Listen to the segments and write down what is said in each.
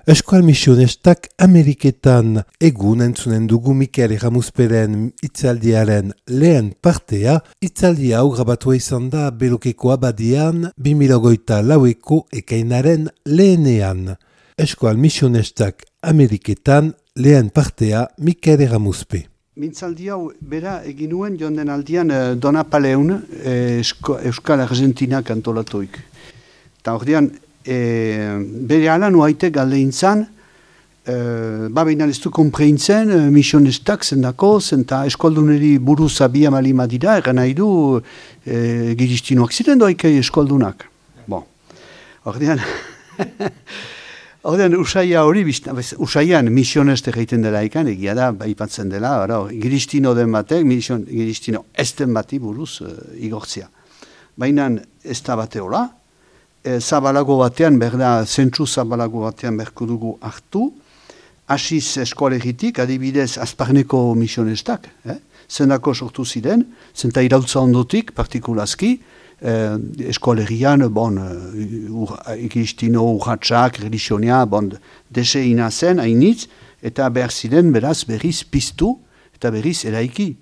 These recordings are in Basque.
Eskual misionestak Ameriketan egun entzunen dugu Mikel Erramuzperen hitzaldiaren lehen partea, hitzaldi hau grabatua izan da Belokeko abadian 2024ko ekainaren lehenean. Eskual misionestak Ameriketan lehen partea Mikel Erramuzpe. Mintzaldi hau bera egin nuen joan den aldian Donapaleun Euskal Argentinak antolatuik. Eta ordean, bere ala nuaite galdein zan, baina ez du kompreintzen misionestak zendako, zenta eskolduneri buruz abia malima dira, egan nahi du giristinoak ziren doaik eskoldunak. Bon, ordean, usaia hori, usaian misionestek egiten dela ikan, egia da, ipatzen dela, giristino den batek, giristino ez den bati buruz igortzia. Baina ez da bate hola, zabalago batean, zentsu zabalago batean berko dugu hartu, hasiz eskolegitik, adibidez, Azparneko misionestak, zendako sortu ziren, zenta irautza ondotik, partikulazki, eskolegian, ikistino, urratxak, religionia, deseina zen, hainitz, eta behar ziren, beraz, berriz piztu, eta berriz eraiki.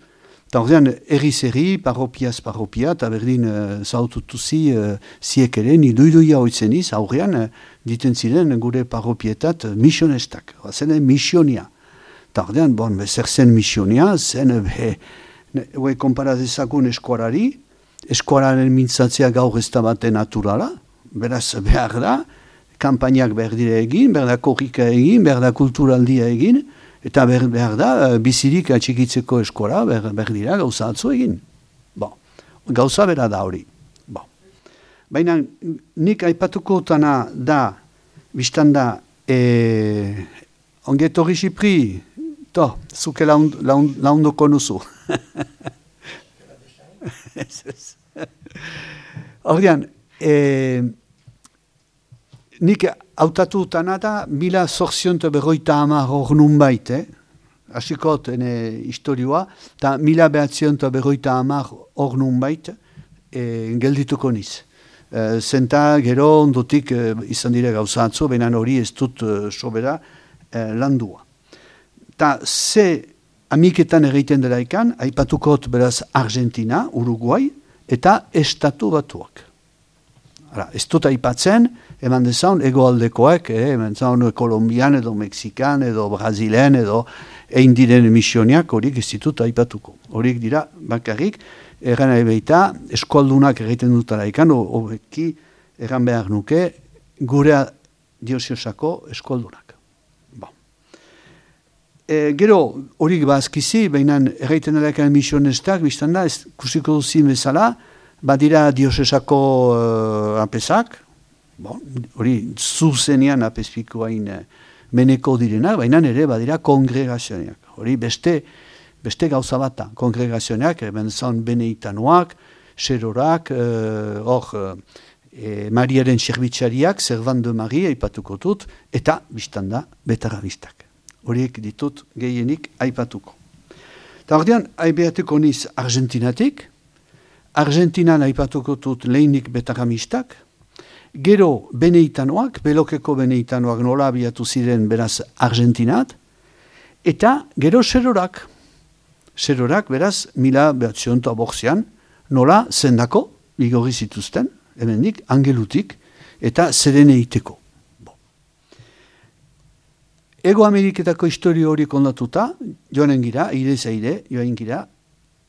Eta ordean, erri-zerri, parropia, eta berdin zaututuzi ziek ere, niduiduia hoitzeniz, aurrean, diten ziren gure parropietat misionestak, zen misionia. Eta ordean, zer zen misionia, zen, konparazezakun eskuarari, eskuararen mintzatzea gaur ez da bate naturala, beraz behar da, kampainak behar dire egin, behar da korrika egin, behar da kulturaldia egin, eta behar da, bizirik atxikitzeko eskola, behar dira gauza atzu egin. Gauza bera da hori. Baina nik aipatuko tana da, biztan da, ongetorri Xipri, zuke laundoko nuzu. Ordean, nik hautatu tana da, 1850 hor nun bait, hasikot historioa, eta 1950 hor nun bait, geldituko niz. Zenta gero ondotik izan dire gauza atzo, baina hori ez dut sobera landua. Ta ze amiketan egiten dela ikan, aipatukot beraz Argentina, Uruguay, eta Estatu Batuak. Ez dut aipatzen, eman dezaun egoaldekoak, eman dezaun Kolombian edo Mexikan edo Brazilen edo egin diren missioniak horiek ez ditut aipatuko. Horiek dira bakarrik, erran ebeita eskoldunak egiten dutara ikan, horreki erran behar nuke gure diosiosako eskoldunak. Gero horiek bazkizi, baina erraiten dela misionestak, biztan da, kusiko duzin bezala, badira diosesako apesak, hori zuzenean apespikoain meneko direnak, baina ere badira kongregazioak. Hori beste gauza bata, kongregazioak, benzan beneitanoak, serorak, Mariaren serbitxariak, Servan de Maria aipatuko dut, eta biztan da betarabistak. Horiek ditut gehienik aipatuko. Eta ordean, aibeatuko niz Argentinatik, Argentinan aipatuko dut lehinik betaramistak, gero beneitanoak, Belokeko beneitanoak nola abiatu ziren beraz Argentinat, eta gero serorak. Serorak beraz 1900 nola zendako, igorri zituzten, hemendik, angelutik, eta zereneiteko. Ego Ameriketako historio hori kondatuta, joanen gira, joanen gira,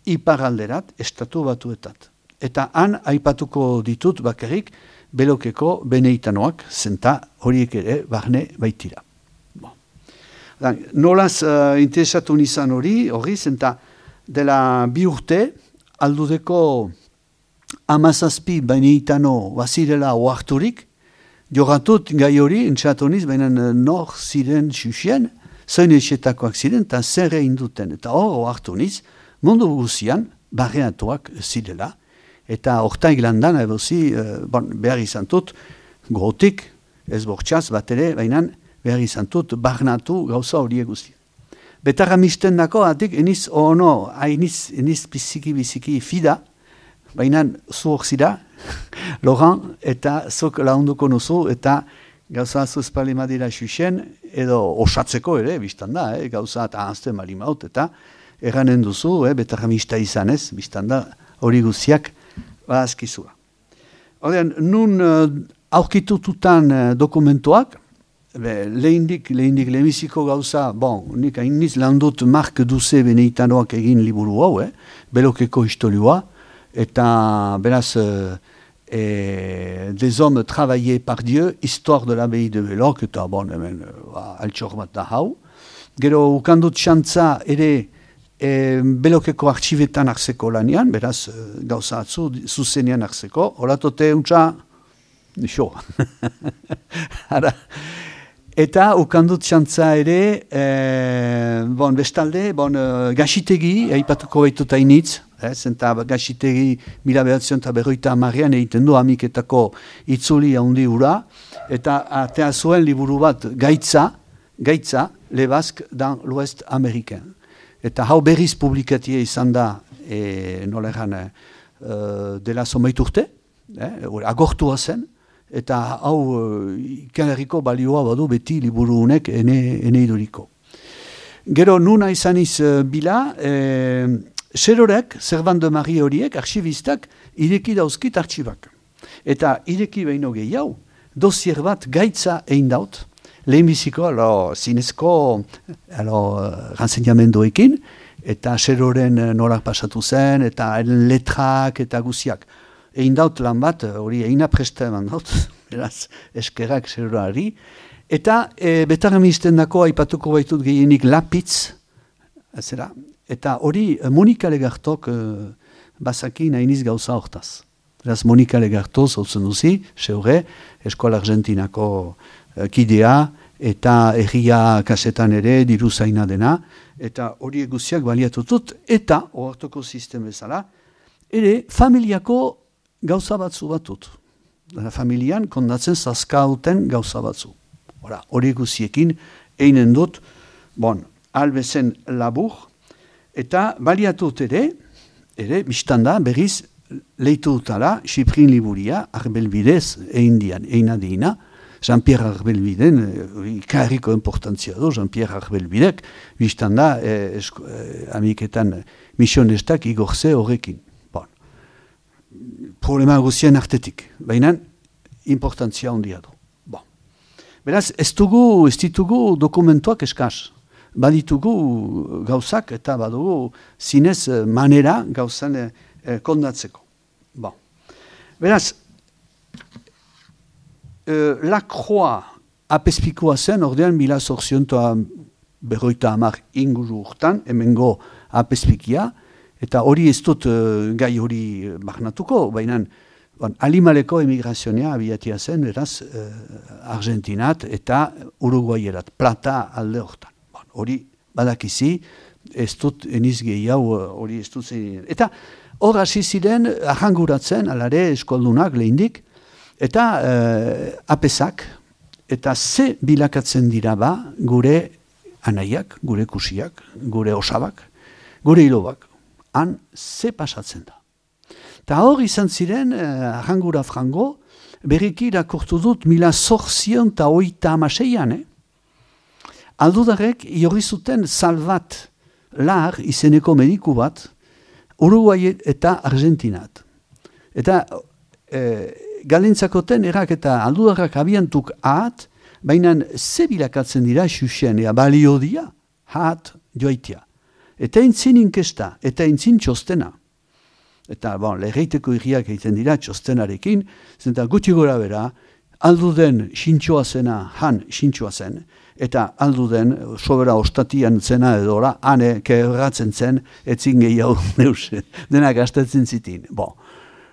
iparalderat, Estatu Batuetat. Eta han aipatuko ditut bakarrik Belokeko beneitanoak, zenta horiek ere barne baitira. Nolaz interesatu nizan hori, zenta dela 2 urte, aldudeko 17 beneitano bazirela oarturik, jogatut gai hori, entxatoniz, baina nor ziren xuxien, zoin etxetakoak ziren, eta zer egin duten. Eta hor hartu niz, mundu guzian, barreatuak zirela, eta ortaik landan, behar izan dut, gotik, ez bortxaz bat ere, baina behar izan dut, barnatu gauza horiek guzti. Betarra misten dako, atik, eniz biziki fida, baina zu hor zira, Laurent, eta zok launduko nuzu, eta gauza atzuz palimadira xuxen, edo osatzeko ere, biztan da, gauza eta ahazten balimaut, eta erranen duzu, betarramista izanez, biztan da, hori guziak, azkizua. Horrean, nun aurkitututan dokumentuak, lehindik lehenbiziko gauza, nik hainiz lan dut Mark Duce Beneitanoak egin liburu hau, Belokeko historioa, eta beraz, des hommes travaillés par Dieu, histoire de l'abbaye de Belok, eta hemen altxor bat da hau. Gero, ukandut xantza ere Belokeko artxibetan hartzeko lanian, beraz, gauza atzu, zuzenean hartzeko, horatote untza, xo. Eta ukandut xantza ere, bestalde, gaxitegi, aipatuko baitut hainitz, zenta gaxitegi 1950an egiten du amiketako itzuli handi hura, eta atea zuen liburu bat gaitza, Le Basque dans l'Ouest américain. Eta hau berriz publikatia izan da, nola egan, dela zomait urte, agortua zen, eta hau ikanerriko balioa badu beti liburu honek ene iduriko. Gero nuna izaniz bila, Serorek, Servan de Marie horiek, arxibistak, ireki dauzkit arxibak. Eta ireki behin gehiago, dosier bat gaitza egin daut, lehenbiziko, zinezko renseñamendoekin, eta Seroren norak pasatu zen, eta letrak eta guziak. Egin daut lan bat, hori egina presta eman daut, beraz, eskerak Serorari, eta betarramisten dako aipatuko baitut gehienik Lapitz, zera, eta hori Monika Legartok bazakin hainiz gauza hortaz. Beraz, Monika Legarto zautzen duzi, seure, Eskola Argentinako kidea, eta erria kasetan ere diru zaina dena, eta hori guziak baliatutut, eta, ohartoko sistem bezala, ere familiako gauza batzu batut. Familian kondatzen zazkauten gauza batzu. Hori guziekin einen dut, albezen labur, eta baliatut ere, biztanda, berriz, leitu dutala, Xiprin Liburia, Arbelbidez, eina deina, Jean-Pierre Arbelbiden, ikarriko importantzia du, Jean-Pierre Arbelbidek, biztanda, amiketan misionestak igorze horrekin. Problema guzien artetik, baina importantzia handia du. Beraz, ez ditugu dokumentuak eskaz. Baditugu gauzak eta badugu zinez manera gauzan kondatzeko. Beraz, Lacroix apespikoa zen, ordean 1850 inguru urtan, hemengo apespikia, eta hori ez dut gai hori barnatuko, baina Alimaleko emigrazionea abiatia zen, eraz, Argentinat eta Uruguayerat, Plata alde hortan. Hori badakizi, ez dut eniz gehiago hori ez dut zen. Eta hor hasi ziren ahanguratzen, alare eskoldunak lehindik, eta apesak, eta ze bilakatzen dira ba gure anaiak, gure kusiak, gure osabak, gure hilobak, han ze pasatzen da. Eta hor izan ziren, ahangura frango, berriki irakurtu dut 1886an, aldudarek jorri zuten Salvat Lar izeneko mediku bat, Uruguay eta Argentinat. Eta galintzakoten erak eta aldudarrak abiantuk ahat, baina ze bilakatzen dira xuxen, balio dia, ahat joaitia. Eta entzin inkesta, eta entzin txostena. Eta leheiteko irriak egiten dira txostenarekin, zenta guti gora bera, alduden xintxoa zena, han xintxoa zen, eta alduden sobera ostatian zena edora, hane kebratzen zen, etzin gehiago neus, denak astatzen zitin.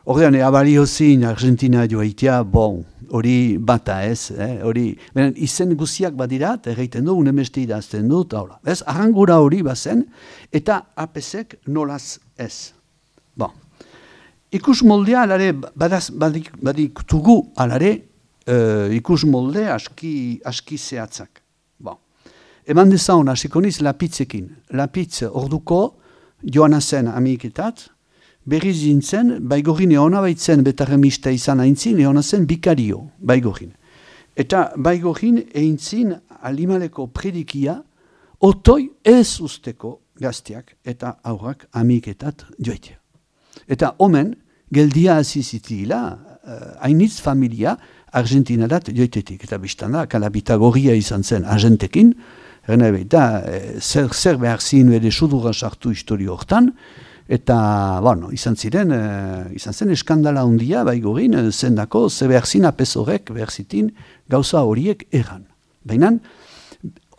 Horrean, abalio zin Argentina joaitia, hori bata ez, hori, izen guziak badirat, egiten du, unemesti idazten dut, ez, arrangura hori bazen, eta apesek nolaz ez. Ikus moldea alare, baditugu alare, ikus molde aski zehatzak. Eman dezaun, hasikoniz Lapitzekin. Lapitz orduko joana zen amiketat, berriz zintzen, baigorin eona baitzen betarremista izan haintzin, eona zen bikario, baigorin. Eta baigorin eintzin alimaleko predikia otoi ez usteko gazteak eta aurrak amiketat joitea. Eta omen, geldia azizitila, hainitz familia Argentinarat joitetik. Eta biztanda, kalabita gorria izan zen argentekin, eta zer behar zin bere sudurra sartu historio hortan, eta izan zen eskandala handia baigorin, zendako, ze behar zin apezorek behar zitin gauza horiek erran. Baina,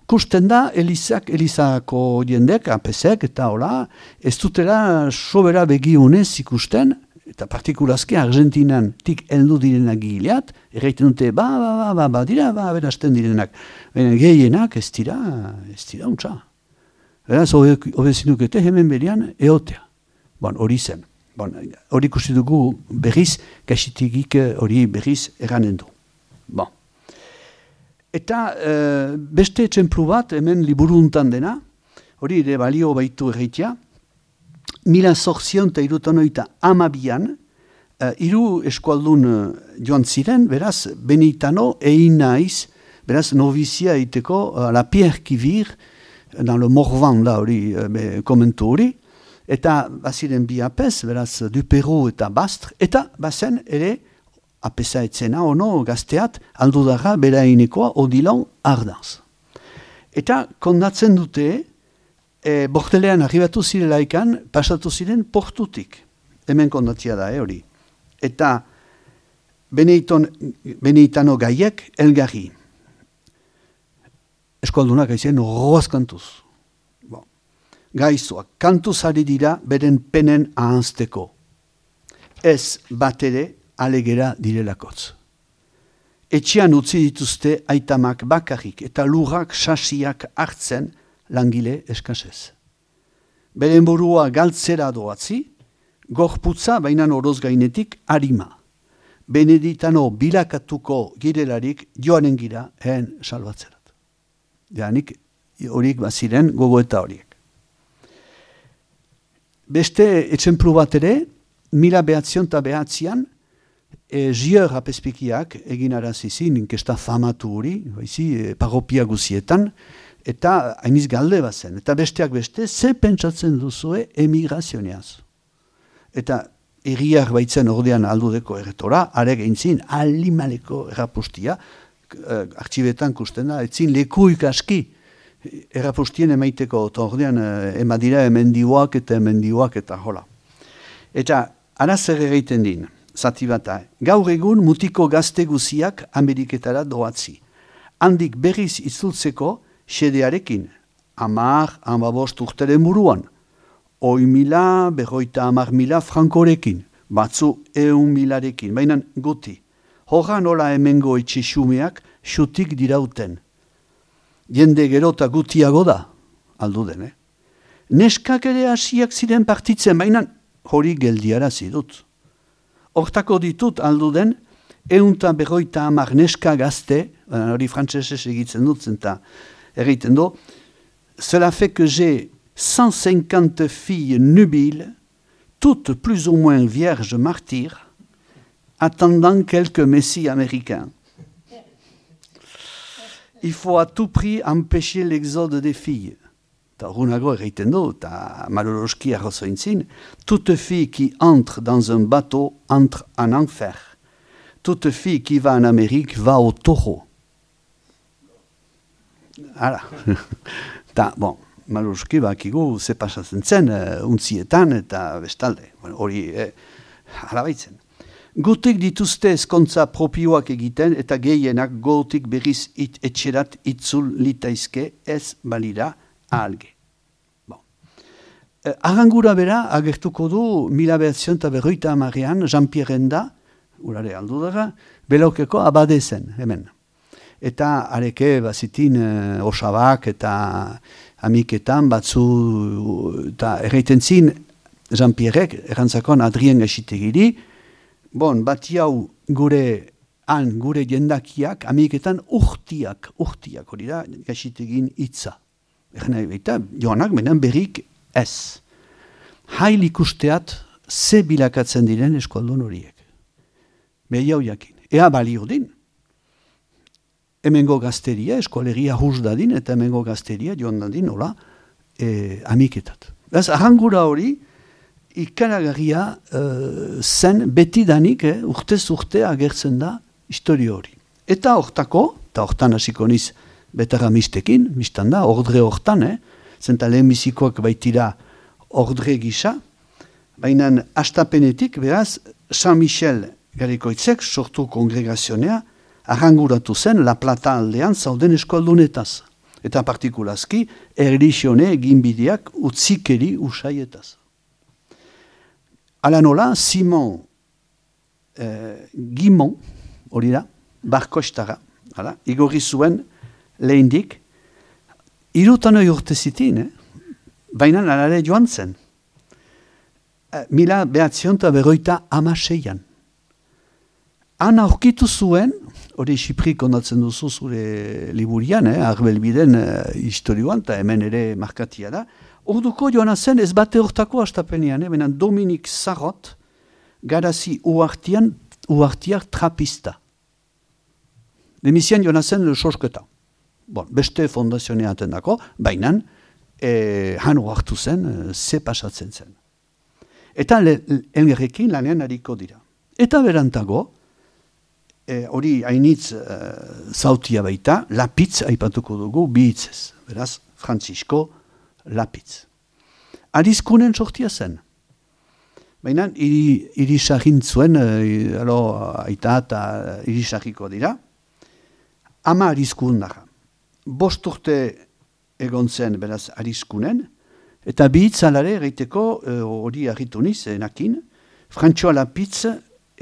kusten da, Elizako jendek, apezek eta hola, ez dutela sobera begionez ikusten, eta partikulazke Argentinan tik heldu direnak gileat, erraiten dute, dira, berasten direnak. Baina gehienak ez dira untsa. Beraz, obezinukete hemen berian eotea. Hori zen. Hori ikusi dugu berriz, gaxitigik hori berriz erranen du. Eta beste etxemplu bat, hemen liburu untan dena, hori ere balio baitu erreitea, 1862an, hiru eskualdun joan ziren, beraz, Benitano egin naiz, beraz, novizia iteko, la Pierre Kivir, dans le Morvan, da hori, komentu hori, eta baziren bi apez, beraz, Duperro eta Bastre, eta bazen ere, apesa etzena, ono, gazteat, aldudarra, berainekoa, Odilon Ardaz. Eta kondatzen dute, bortelean arribatu zirelaikan, pasatu ziren portutik. Hemen kondatzia da, hori. Eta Benitano gaiek elgarri. Eskualdunak aizen horroaz kantuz. Gaizoak, kantuz ari dira beren penen ahanzteko. Ez bat ere alegera direlakotz. Etxean utzi dituzte aitamak bakarrik eta lurrak sasiak hartzen langile eskasez. Beren burua galtzera doatzi, gorputza bainan oroz gainetik harima. Beneditano bilakatuko girelarik joanen gira ehen salbatzerat. Janik horiek baziren gogoeta horiek. Beste etxemplu bat ere, 1909an, Gier apezpikiak egin arazizin, inkesta famatu hori, parropia guzietan, eta hainiz galde bazen. Eta besteak beste, ze pentsatzen duzue emigrazioneaz. Eta erriak baitzen ordean aldudeko erretora, arek eintzin alimaleko errapustia, artxibetan kusten da, etzin lekuik aski errapustien emaiteko, eta ordean emadira emendioak eta hola. Eta arazer egiten din, zati bata, gaur egun mutiko gazte guziak Ameriketara doatzi. Handik berriz itzultzeko xedearekin, 10-15 urteren buruan, 100.000, 50.000 frankorekin, batzu 100.000rekin, baina guti. Horra nola hemengo etxexumeak xutik dirauten. Jende gerota gutiago da, alduden, Neskak ere hasiak ziren partitzen, baina hori geldiara zidut. Hortako ditut alduden, 150 neska gazte, hori frantsesez egitzen dut zenta, egiten du, cela fait que j'ai 150 filles nubiles, toutes plus ou moins vierges martyrs, attendant quelques messies américains. Il faut à tout prix empêcher l'exode des filles. Runago egiten du, eta maloroski arrozointzin, toute fille qui entre dans un bateau entre en enfer. Toute fille qui va en Amérique va au taureau. Hala. Maloroski bakigu ze pasatzen zen, untzietan eta bestalde. Hori, hala baitzen. Gutik dituzte ezkontza propioak egiten eta gehienak gotik berriz etxerat itzul litaizke ez balira ahalge. Arrangura bera agertuko du 1950an Jean-Pierre Enda, urare aldudara, Belokeko abadezen, hemen. Eta areke bazitin osabak eta amiketan batzu, eta erraiten zin Jean-Pierrek, errantzakon Adrien gaxitegiri, bati hau gure jendakiak, amiketan urtiak hori da gaxitegin hitza. Eta joanak benen berrik ez. Hail ikusteat ze bilakatzen diren eskualdun horiek. Behiau jakin. Ea balio din. hemengo gazteria, eskolegia hus dadin, eta hemengo gazteria joan dadin, hola, amiketat. Beraz, arrangura hori, ikaragarria zen betidanik, urtez urte agertzen da historio hori. Eta hortan hasiko niz betaramistekin, mistan da, ordre hortan, zenta lehenbizikoak baitira ordre gisa, baina astapenetik, beraz, San Michel Garikoitzek sortu kongregazionea arranguratu zen La Plata aldean zauden eskoaldunetaz. Eta partikulazki, erlixione eginbideak utzikeri usaietaz. Ala nola, Simon Gimon, hori da, barkostara, igorri zuen lehendik, 30 urte zitin, baina alare joan zen. 1956an. Han aurkitu zuen, hori Xiprik ondatzen duzu zure liburian, Arbelbiden historioan, eta hemen ere markatia da, orduko joan zen ez bate hortako astapenean, benen Dominik Zarrot, garazi uartiak trapista. Demizian joan zen sosketa. Bon, beste fondazionea atendako, baina han hartu zen, ze pasatzen zen. Eta elgerrekin lanean hariko dira. Eta berantago, hori hainitz zautia baita, Lapitz aipatuko dugu bi hitzez. Beraz, Francisco Lapitz. Arizkunen sortia zen. Baina, irisagin zuen, aita eta irisagiko dira, ama arizkun daga. 5 urte egon zen, beraz, arizkunen, eta bi hitzalare egiteko hori argitu niz, enakin, Frantxoa Lapitz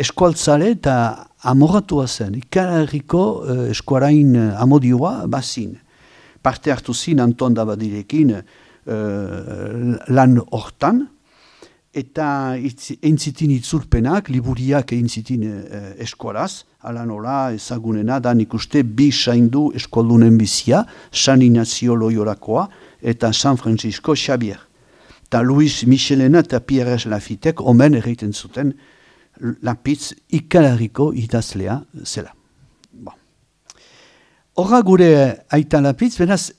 eskualtzale eta amoratua zen, ikarriko eskuarain amodioa bazin. Parte hartu zin Anton Dabadirekin lan hortan, eta entzitin itzulpenak, liburiak entzitin eskualaz, ala nola ezagunena da nik uste bi saindu eskoldunen bizia, San Ignacio Loyorakoa eta San Francisco Xavier. Eta Luis Michelena eta Pierre Lafitek omen egiten zuten Lapitz ikalariko idazlea zela. Horra gure aita Lapitz, beraz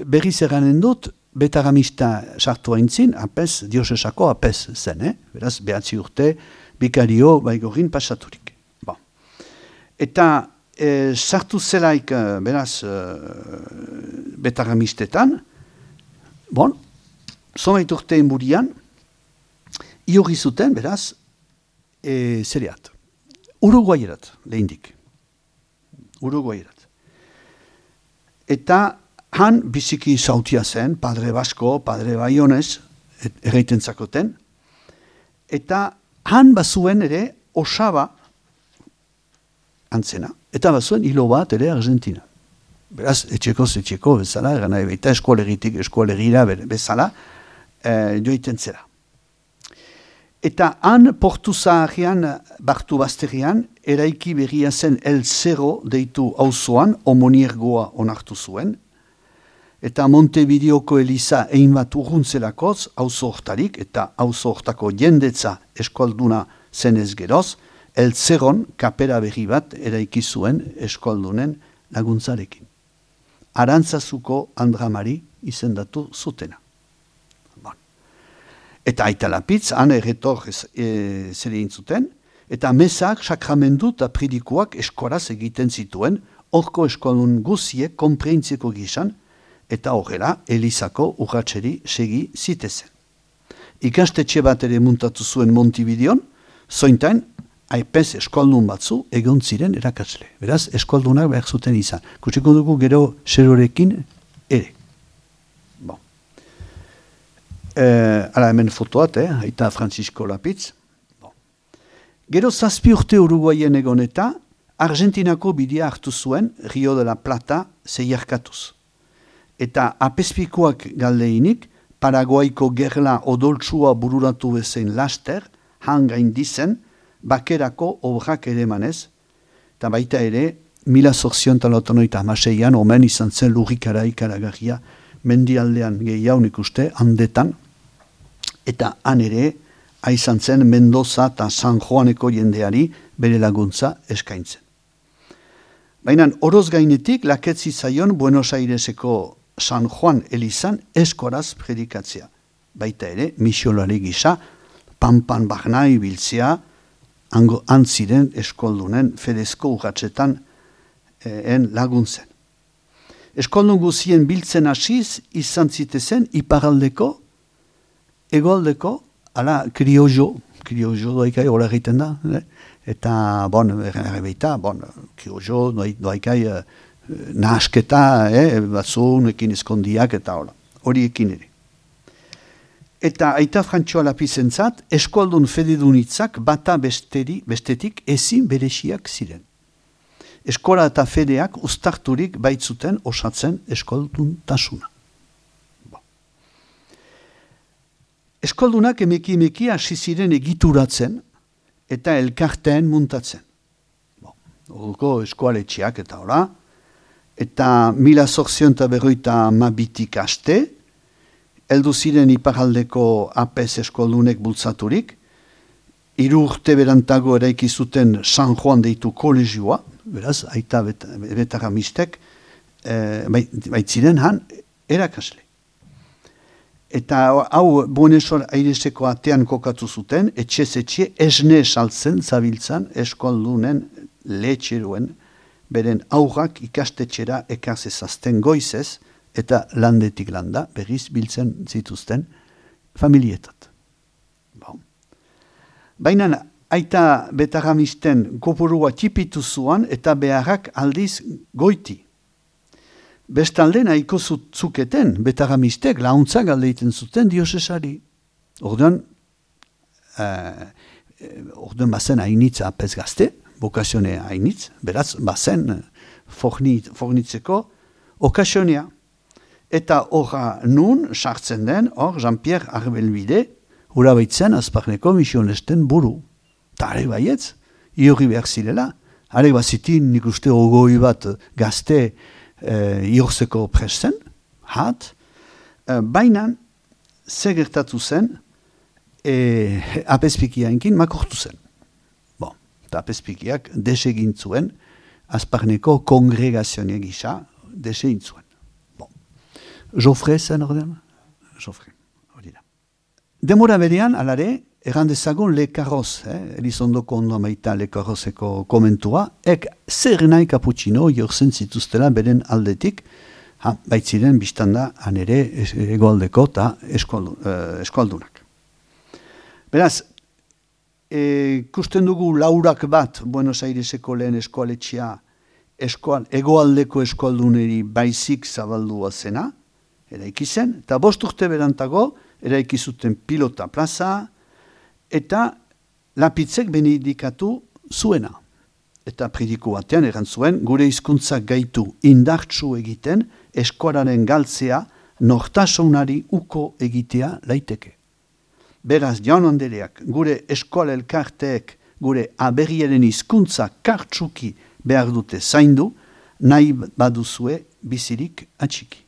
berriz eranen dut, betaramista sartu haintzin, apez, diosesako apez zen, beraz, 9 urte, bikario baigorin pasaturik. Eta sartu zelaik, beraz, betaramistetan, zomait urte inburian, iorri zuten, beraz, zereat. Uruguayerat, lehindik. Uruguayerat. Eta han biziki zautia zen, Padre Basko, Padre Baionez, erreiten zakoten, eta han bazuen ere osaba antzena, eta bazuen hilo bat ere Argentina. Beraz, etxeko bezala, gana ebeita eskolegitik eskolegira bezala, joiten zera. Eta han portu zaharrean, bartu bazterian, eraiki berria zen El Cerro deitu auzoan, homoniergoa onartu zuen, eta Montevideoko Eliza egin bat urruntzelakoz, auzo hortarik, eta auzo hortako jendetza eskualduna zenez geroz, El Cerron kapera berri bat eraiki zuen eskualdunen laguntzarekin. Arantzazuko Andramari izendatu zutena. Eta aita Lapitz, han erretor zer egin zuten, eta mesak, sakramendu eta pridikoak eskoraz egiten zituen, horko eskualdun guziek konpreintzeko gizan, eta horrela Elizako urratxeri segi zitezen. Ikastetxe bat ere muntatu zuen Montevideon, zointain, aipez eskualdun batzu egon ziren erakasle. Beraz, eskualdunak behar zuten izan. Kutsiko dugu gero serorekin ere. Hala hemen fotoat, aita Francisco Lapitz. Gero 7 urte Uruguayen egon eta Argentinako bidea hartu zuen Rio de la Plata zeiarkatuz. Eta apezpikoak galdeinik, Paraguaiko gerla odoltsua bururatu bezein laster, hangain dizen, bakerako obrak ere manez, eta baita ere, 1886an omen izan zen lurrikara ikaragarria, mendialdean gehiago ikuste, handetan, eta han ere, aizan zen Mendoza eta San Juaneko jendeari bere laguntza eskaintzen. Baina oroz gainetik laketzi zaion Buenos Aireseko San Juan Elizan eskoraz predikatzea. Baita ere, misiolari gisa, panpan barna ibiltzea, antziren eskoldunen fedezko urratxetan laguntzen. Eskoldun guzien biltzen hasiz izan zitezen iparaldeko, egoaldeko, ala kriojo doaikai hola egiten da, eta, errebeita, kriojo doaikai nahasketa, batzunekin eskondiak eta horiekin ere. Eta aita Frantxoa Lapizentzat, eskoldun fededunitzak bata bestetik ezin bereziak ziren. Eskola eta fedeak uztarturik baitzuten osatzen eskolduntasuna. Eskoldunak emeki hasi ziren egituratzen eta elkarteen muntatzen. Horko eskoaletxeak eta hola, eta 1852 aste, heldu ziren iparaldeko APS eskoldunek bultzaturik, 3 urte berantago eraiki zuten San Juan deitu kolegioa, beraz, aita betaramistek, baitziren han erakasle. Eta hau Buenos Aireseko atean kokatu zuten, etxe esne saltzen zabiltzan eskoldunen lehetxeruen, beren aurrak ikastetxera ekazezazten goizez, eta landetik landa, berriz biltzen zituzten familietat. Baina aita betaramisten kopurua txipitu zuan eta beharrak aldiz goiti. Bestalde nahiko zuketen betaramistek launtzak aldeiten zuten diosesari. Orduan bazen hainitz apez gazte, vokazione hainitz, beraz bazen fornitzeko okasionea. Eta horra nun sartzen den, Jean-Pierre Arbelbide, hura baitzen azparneko misionesten buru. Ta are baietz, iorri behar zirela. Are bazitin nik uste ogoi bat gazte iorzeko presten, baina ze gertatu zen, apezpikiaenkin makortu zen. Eta apezpikiak desegin zuen, azparneko kongregazioa gisa desegin zuen. Jofre zen ordean? Jofre, hori da. Demora berean, alare, errandezagun Le Carroz, Elizondoko ondo maita Le Carrozeko komentua, zer nahi kaputxino jorzen zituztela beren aldetik, baitziren biztanda anere egoaldeko eta eskoldunak. Beraz, kusten dugu laurak bat Buenos Aireseko lehen eskoaletxea egoaldeko eskolduneri baizik zabaldua zena, eraiki zen, eta 5 urte berantago eraiki zuten pilota plaza, eta Lapitzek benedikatu zuena. Eta prediku batean erantzuen, gure hizkuntzak gaitu indartsu egiten, eskolaren galtzea, nortasunari uko egitea laiteke. Beraz, jaun andereak, gure eskola elkarteek, gure aberriaren hizkuntza kartsuki behar dute zaindu, nahi baduzue bizirik atxiki.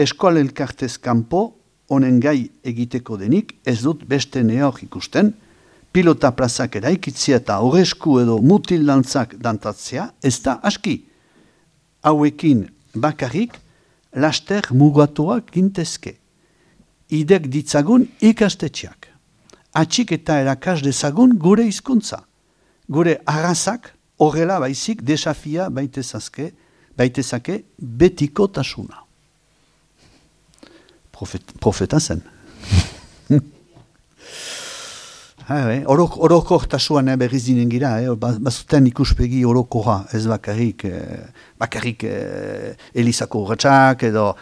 Eskola elkartez kanpo, honen gai egiteko denik, ez dut beste neor ikusten, pilota plazak eraikitzea eta horresku edo mutil dantzak dantatzea, ez da aski. Hauekin bakarrik, laster mugatuak gintezke. Idek ditzagun ikastetxeak. Atxik eta erakas dezagun gure hizkuntza. Gure arrazak horrela baizik desafia baitezake betiko tasuna. Profeta zen. Orokortasuan berriz dinen gira, bazuten ikuspegi orokorra, ez bakarrik Elizako urratxak edo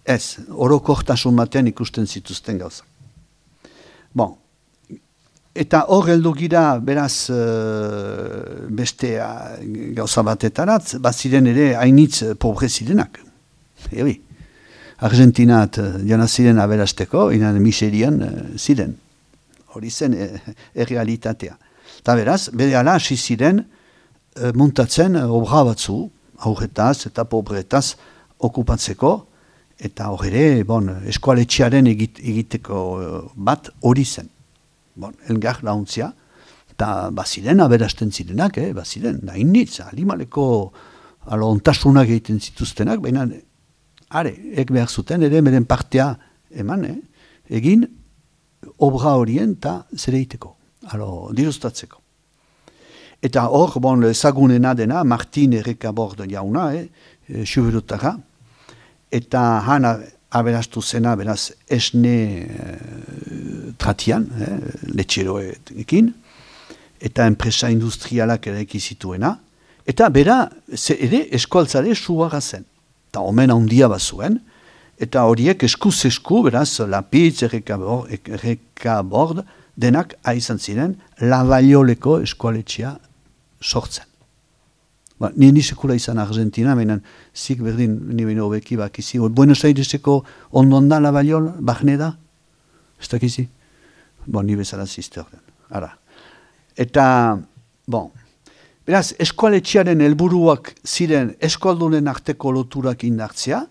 ez, orokortasun batean ikusten zituzten gauzak. Eta hor heldu gira beraz beste gauza batetarat, baziren ere hainitz pobre zirenak. Argentinat jana ziren aberasteko, inan miserian ziren. Hori zen errealitatea. Eta beraz, bere ala hasi ziren muntatzen obra batzu, aurretaz eta pobretaz okupatzeko, eta hor ere, eskoaletxearen egiteko bat hori zen. Elgar launtzia, eta baziren aberasten zirenak, baziren, hainitz, alimaleko ontasunak egiten zituztenak, baina, ek behar zuten, ere beren partea eman, egin, obra horien eta zere iteko, dirustatzeko. Eta hor, ezagunena dena, Martin Errekabord jauna, Xuberutara, eta han aberastu zena, beraz, esne tratian, letxeroekin, eta enpresa industrialak ere ekizituena, eta bera, ere eskualtzare suara zen. Eta omen handia bazuen, eta horiek eskuz-esku, beraz, Lapitz, Errekabord, denak aizan ziren, Lavalloleko eskualetxea sortzen. Ni sekula izan Argentina, menan zik berdin ni beno beki bakizi. Buenos Aireseko ondoan da Lavallol, bahne da? Ez dakizi? Ni bezala zizte orden. Eta, beraz, eskualetxearen helburuak ziren eskualdunen arteko loturak indartzea,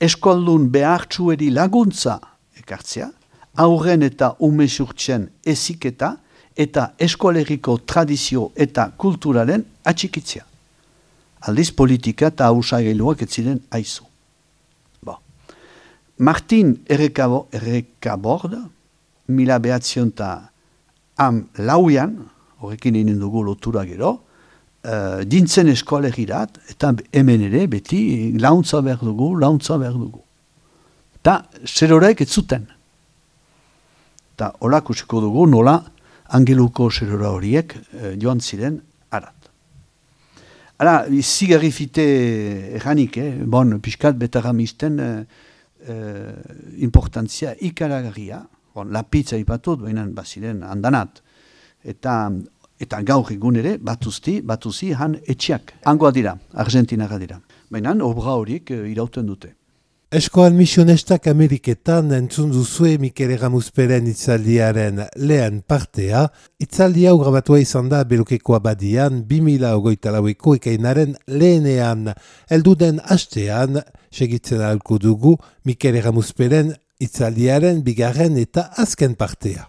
eskualdun behartsueri laguntza ekartzea, aurren eta umesurtzen eziketa, eta eskualeriko tradizio eta kulturaren atxikitzea. Aldiz politika eta hausagailuak ez ziren aizu. Martin Errekabord, 1904 horrekin egin dugu lotura gero, dintzen eskualerirat, eta hemen ere beti launtza behar dugu. Eta zerorek ez zuten. Eta hola kusiko dugu nola Angeluko zerora horiek joan ziren arat. Zigarrifite erranik, piskat betaramisten importantzia ikaragarria, Lapitza ipatut, baina baziren handanat, eta gaur egun ere batuzi han etxiak. Hangoa dira, Argentinara dira. Baina obra horiek irauten dute. Eskoal misionestak Ameriketan entzun duzue Mikel Erramuzperen itzaldiaren lehen partea. Itzaldi hau grabatua izan da Belokeko abadian 2024ko ekainaren lehenean. Elduden hastean segitzen ahalko dugu Mikel Erramuzperen itzaldiaren bigarren eta azken partea.